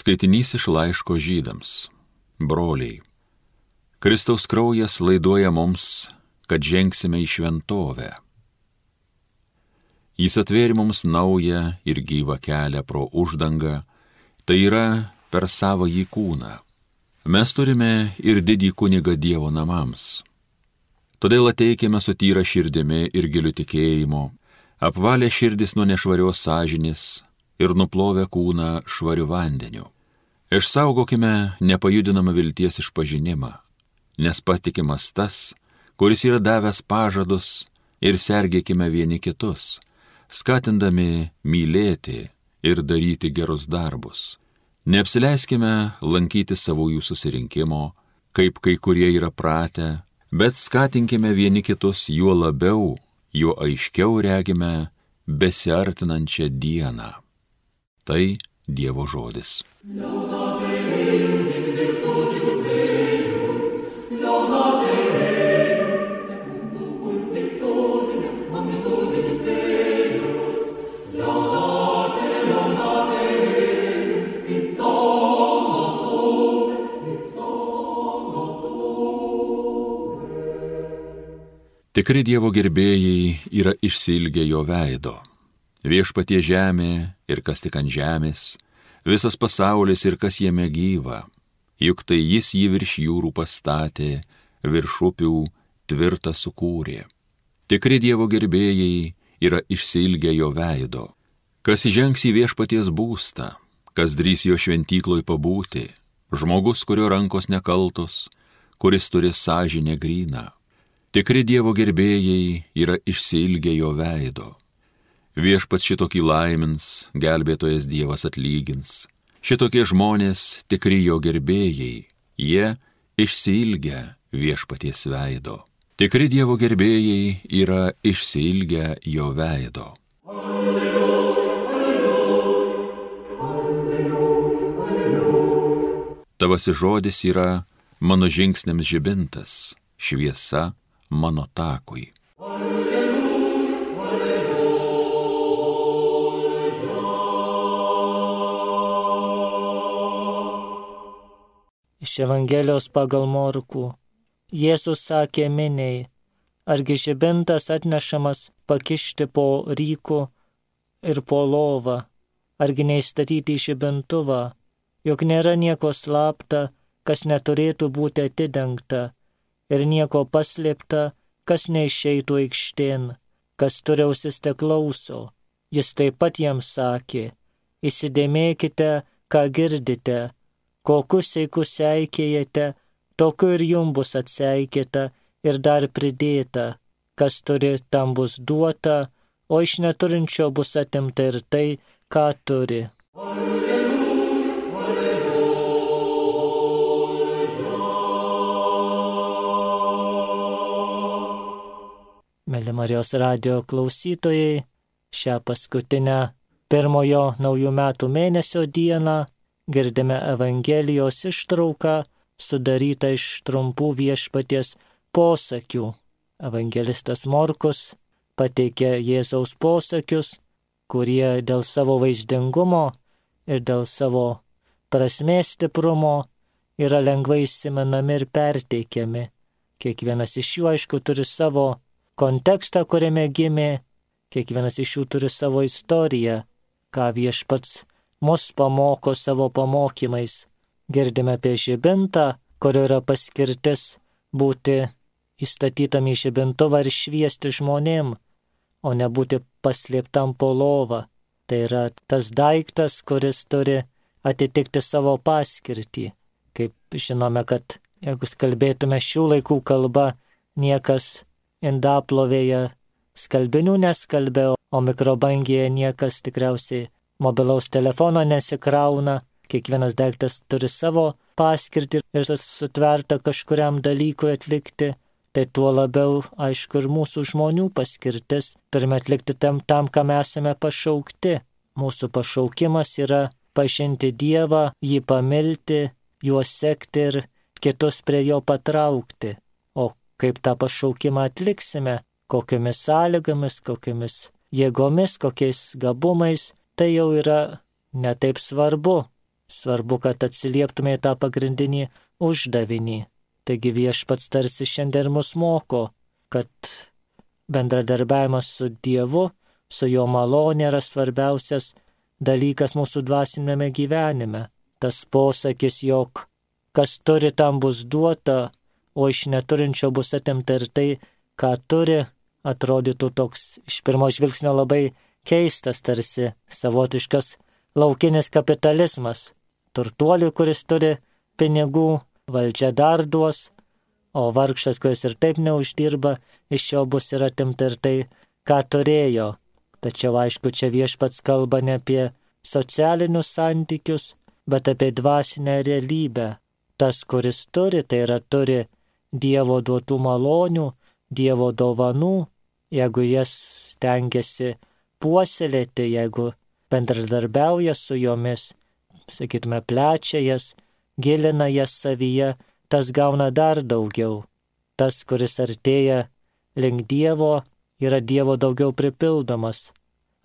Skaitinys iš laiško Žydams. Broliai, Kristaus kraujas laiduoja mums, kad žengsime į šventovę. Jis atvėrė mums naują ir gyvą kelią pro uždangą, tai yra per savąjį kūną. Mes turime ir didį kunigą Dievo namams. Todėl ateikime su tyra širdimi ir giliu tikėjimu, apvalę širdis nuo nešvarios sąžinės ir nuplovę kūną švariu vandeniu. Išsaugokime nepajudinamą vilties išpažinimą, nes patikimas tas, kuris yra davęs pažadus, ir sergėkime vieni kitus, skatindami mylėti ir daryti gerus darbus. Neapsileiskime lankyti savųjų susirinkimo, kaip kai kurie yra pratę, bet skatinkime vieni kitus juo labiau, juo aiškiau regime besiartinančią dieną. Tai Dievo žodis. Tikri Dievo gerbėjai yra išsiilgę jo veido. Viešpatie žemė ir kas tik ant žemės, visas pasaulis ir kas jame gyva, juk tai jis jį virš jūrų pastatė, virš upių tvirtą sukūrė. Tikri Dievo gerbėjai yra išsiilgę jo veido. Kas įžengs į viešpaties būstą, kas drįs jo šventykloj pabūti, žmogus, kurio rankos nekaltos, kuris turi sąžinę gryną. Tikri Dievo gerbėjai yra išsiilgę jo veido. Viešpats šitokį laimins, gelbėtojas Dievas atlygins. Šitokie žmonės tikri jo gerbėjai, jie išsiilgę viešpaties veido. Tikri Dievo gerbėjai yra išsiilgę jo veido. Tavasis žodis yra mano žingsniams žibintas, šviesa mano takui. Iš Evangelijos pagal Morkų. Jėzus sakė miniai, argi žibintas atnešamas pakišti po ryku ir po lovą, argi neįstatyti į žibintuvą, juk nėra nieko slapta, kas neturėtų būti atidengta, ir nieko paslėpta, kas neišeitų aikštėn, kas turi ausis teklauso. Jis taip pat jiems sakė, įsidėmėkite, ką girdite, kokius seikus seikėjate, tokiu ir jums bus atseikėta ir dar pridėta, kas turi, tam bus duota, o iš neturinčio bus atimta ir tai, ką turi. Mėly Marijos radijo klausytojai, šią paskutinę pirmojo naujų metų mėnesio dieną girdime Evangelijos ištrauką sudarytą iš trumpų viešpaties posakių. Evangelistas Morkus pateikė Jėzaus posakius, kurie dėl savo vaizdingumo ir dėl savo prasmės stiprumo yra lengvai įsimenami ir perteikiami. Kiekvienas iš jų, aišku, turi savo kontekstą, kuriame gimė, kiekvienas iš jų turi savo istoriją, ką viešpats mus pamoko savo pamokymais. Girdime apie žibintą, kurio yra paskirtis būti įstatytam į žibintuvą ir šviesti žmonėm, o ne būti paslėptam po lovą. Tai yra tas daiktas, kuris turi atitikti savo paskirtį. Kaip žinome, kad jeigu kalbėtume šių laikų kalba, niekas indaplovėje skalbinių neskalbė, o mikrobangėje niekas tikriausiai mobilaus telefono nesikrauna. Kiekvienas daiktas turi savo paskirtį ir sutverta kažkuriam dalykui atlikti. Tai tuo labiau, aišku, ir mūsų žmonių paskirtis. Turime atlikti tam, kam esame pašaukti. Mūsų pašaukimas yra pažinti Dievą, jį pamilti, juo sekti ir kitus prie jo patraukti. O kaip tą pašaukimą atliksime, kokiomis sąlygomis, kokiomis jėgomis, kokiais gabumais, tai jau yra netaip svarbu. Svarbu, kad atsilieptume į tą pagrindinį uždavinį. Taigi Viešpats tarsi šiandien mus moko, kad bendradarbiavimas su Dievu, su jo malonė yra svarbiausias dalykas mūsų dvasinėme gyvenime. Tas posakis, jog kas turi, tam bus duota, o iš neturinčio bus atimta ir tai, ką turi, atrodytų toks iš pirmo žvilgsnio labai keistas, tarsi savotiškas laukinis kapitalizmas. Turtuoliui, kuris turi pinigų, valdžia dar duos, o vargšas, kuris ir taip neuždirba, iš jo bus ir atimta ir tai, ką turėjo. Tačiau aišku, čia Viešpats kalba ne apie socialinius santykius, bet apie dvasinę realybę. Tas, kuris turi, tai yra turi Dievo duotų malonių, Dievo dovanų, jeigu jas stengiasi puoselėti, jeigu bendradarbiauja su jomis, sakytume, plečia jas, gilina jas savyje, tas gauna dar daugiau. Tas, kuris artėja link Dievo, yra Dievo daugiau pripildomas.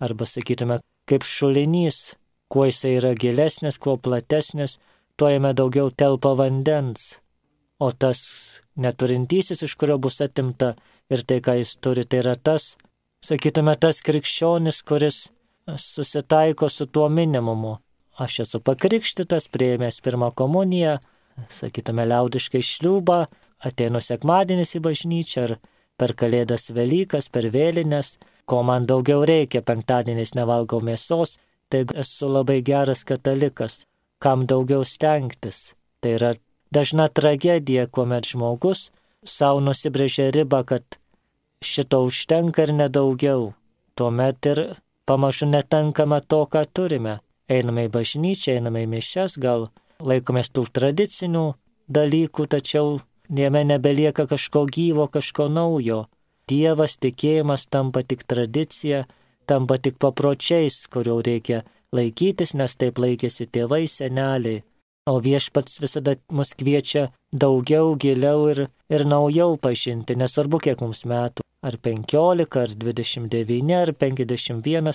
Arba sakytume, kaip šulinys, kuo jisai yra gilesnis, kuo platesnis, tuo jame daugiau telpa vandens. O tas neturintysis, iš kurio bus atimta ir tai, ką jis turi, tai yra tas, sakytume, tas krikščionis, kuris susitaiko su tuo minimumu. Aš esu pakrikštytas, priėmęs pirmą komuniją, sakytume, liaudiškai šliūbą, ateinu sekmadienis į bažnyčią ar per Kalėdas Velykas, per vėlines, ko man daugiau reikia, penktadieniais nevalgau mėsos, tai esu labai geras katalikas, kam daugiau stengtis. Tai yra dažna tragedija, kuomet žmogus savo nusibrėžė ribą, kad šito užtenka ir nedaugiau. Tuomet ir pamažu netenkame to, ką turime. Einame į bažnyčią, einame į mišias, gal laikomės tų tradicinių dalykų, tačiau jame nebelieka kažko gyvo, kažko naujo. Dievas, tikėjimas tampa tik tradicija, tampa tik papročiais, kurių reikia laikytis, nes taip laikėsi tėvai, seneliai. O Viešpats visada mus kviečia daugiau, giliau ir naujau pažinti, nesvarbu kiek mums metų. Ar 15, ar 29, ar 51,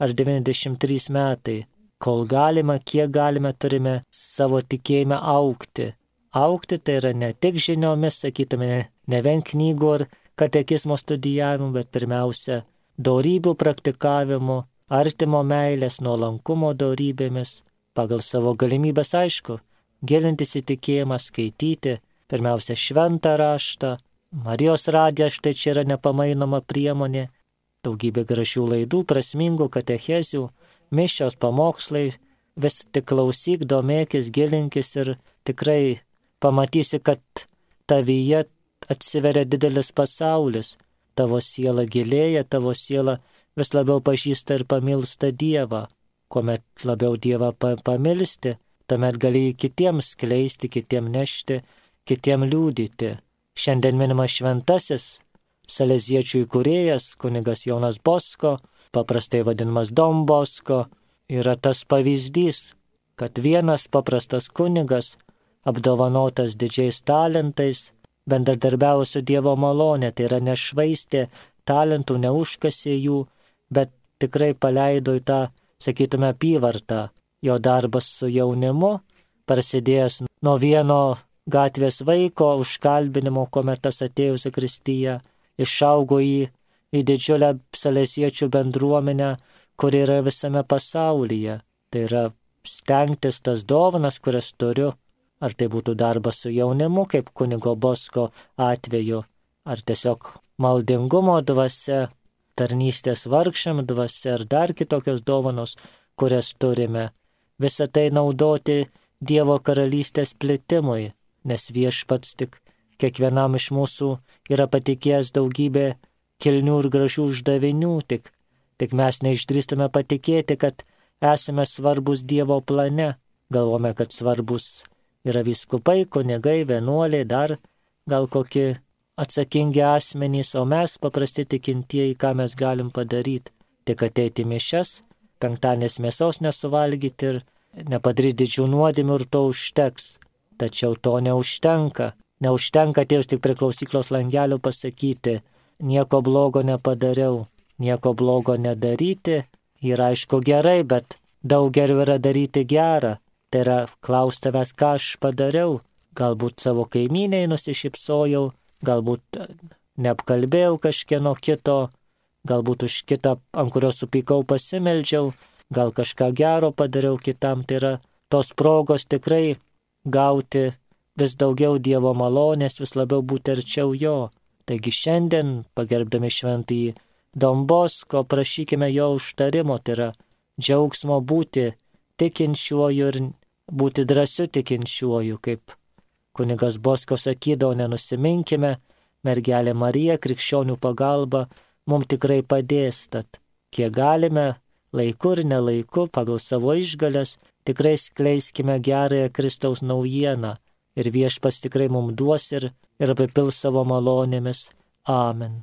ar 93 metai. Kol galima, kiek galime, turime savo tikėjime augti. Augti tai yra ne tik žiniomis, sakytume, ne vien knygų ar katekizmo studijavimu, bet pirmiausia, dorybių praktikavimu, artimo meilės, nuolankumo dorybėmis, pagal savo galimybės, aišku, gilintis į tikėjimą, skaityti, pirmiausia, šventą raštą. Marijos radijas štai čia yra nepamainoma priemonė, daugybė gražių laidų, prasmingų katechezių, mišios, pamokslai, vis tik klausyk, domėkis, gilinkis ir tikrai pamatysi, kad tavyje atsiveria didelis pasaulis, tavo siela gilėja, tavo siela vis labiau pažįsta ir pamilsta Dievą. Kuomet labiau Dievą pamilsti, tuomet gali kitiems skleisti, kitiems nešti, kitiems liūdyti. Šiandien minimas šventasis saleziečių įkūrėjas, kunigas Jonas Bosko, paprastai vadinamas Don Bosko, yra tas pavyzdys, kad vienas paprastas kunigas, apdovanotas didžiais talentais, bendradarbiavo su Dievo malonė, tai yra nešvaistė talentų, neužkasė jų, bet tikrai paleido į tą, sakytume, apyvartą. Jo darbas su jaunimu, prasidėjęs nuo vieno gatvės vaiko užkalbinimo, kuomet tas atėjo į zakristiją, išaugo į didžiulę saleziečių bendruomenę, kuri yra visame pasaulyje. Tai yra stengtis tas dovanas, kurias turiu, ar tai būtų darbas su jaunimu, kaip kunigo Bosko atveju, ar tiesiog maldingumo dvasia, tarnystės vargšam dvasia, ar dar kitokios dovanos, kurias turime. Visą tai naudoti Dievo karalystės plitimui, nes Viešpats tik kiekvienam iš mūsų yra patikėjęs daugybę kilnių ir gražių uždavinių, tik mes neišdrįstume patikėti, kad esame svarbus Dievo plane. Galvome, kad svarbus yra vyskupai, kunigai, vienuoliai, dar gal kokie atsakingi asmenys, o mes paprasti tikintieji, ką mes galim padaryti. Tik ateiti mišias, penktadienės mėsos nesuvalgyti ir nepadaryti didžių nuodėmių ir to užteks. Tačiau to neužtenka. Neužtenka atėjus tik prie klausyklos langelio pasakyti, nieko blogo nepadariau, nieko blogo nedaryti. Yra aišku gerai, bet daug geriau yra daryti gerą. Tai yra klaus tavęs, ką aš padariau. Galbūt savo kaimyniai nusišypsojau, galbūt neapkalbėjau kažkieno kito, galbūt už kitą, ant kurio supykau, pasimeldžiau, gal kažką gero padariau kitam. Tai yra tos progos tikrai gauti vis daugiau Dievo malonės, vis labiau būti arčiau jo. Taigi šiandien, pagerbdami šventąjį Don Bosko, prašykime jo užtarimo, tai yra džiaugsmo būti tikinčiuoju ir būti drąsiu tikinčiuoju, kaip kunigas Bosko sakydavo, nenusiminkime, mergelė Marija, krikščionių pagalba, mums tikrai padės, tad kiek galime, laiku ir nelaiku, pagal savo išgales, tikrai skleiskime gerąją Kristaus naujieną ir Viešpats tikrai mums duos ir apipils savo malonėmis. Amen.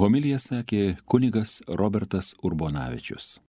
Homiliją sakė kunigas Robertas Urbonavičius.